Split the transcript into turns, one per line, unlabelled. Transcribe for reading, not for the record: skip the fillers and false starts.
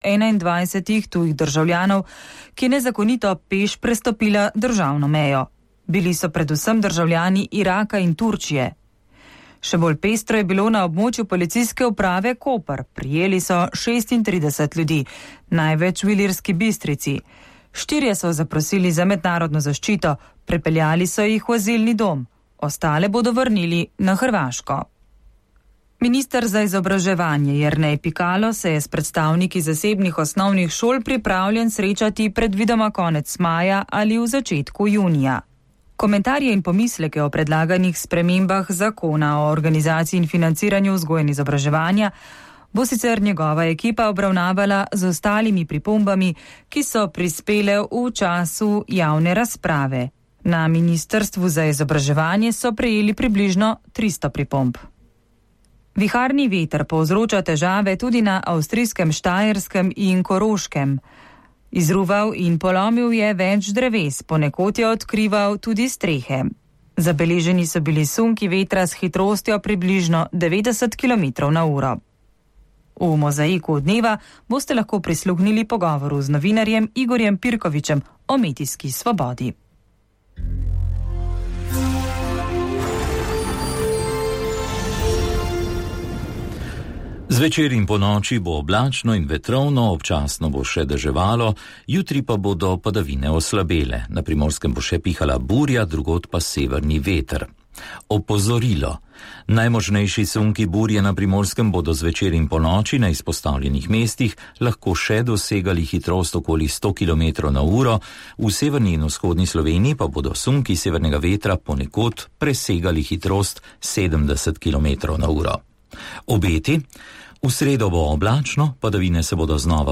21 tujih državljanov, ki je nezakonito peš prestopila državno mejo. Bili so predvsem državljani Iraka in Turčije. Še bolj pestro je bilo na območju policijske uprave Koper. Prijeli so 36 ljudi, največ v Ilirski Bistrici. 4 so zaprosili za mednarodno zaščito, prepeljali so jih v azilni dom. Ostale bodo vrnili na Hrvaško. Minister za izobraževanje Jernej Pikalo se je s predstavniki zasebnih osnovnih šol pripravljen srečati predvidoma konec maja ali v začetku junija. Komentarje in pomisleke o predlaganih spremembah zakona o organizaciji in financiranju vzgoje in izobraževanja bo sicer njegova ekipa obravnavala z ostalimi pripombami, ki so prispele v času javne razprave. Na Ministrstvu za izobraževanje so prejeli približno 300 pripomb. Viharni veter povzroča težave tudi na avstrijskem Štajerskem in Koroškem. Izruval in polomil je več dreves, ponekod je odkrival tudi strehe. Zabeleženi so bili sunki vetra s hitrostjo približno 90 km/h. V mozaiku dneva boste lahko prisluhnili pogovoru z novinarjem Igorjem Pirkovičem o medijski svobodi.
Zvečer in ponoči bo oblačno in vetrovno, občasno bo še deževalo, jutri pa bodo padavine oslabele. Na Primorskem bo še pihala burja, drugod pa severni veter. Opozorilo. Najmočnejši sunki burje na Primorskem bodo zvečer in ponoči na izpostavljenih mestih lahko še dosegali hitrost okoli 100 km/h, v severni in vzhodni Sloveniji pa bodo sunki severnega vetra ponekod presegali hitrost 70 km/h. Obeti. V sredo bo oblačno, padavine se bodo znova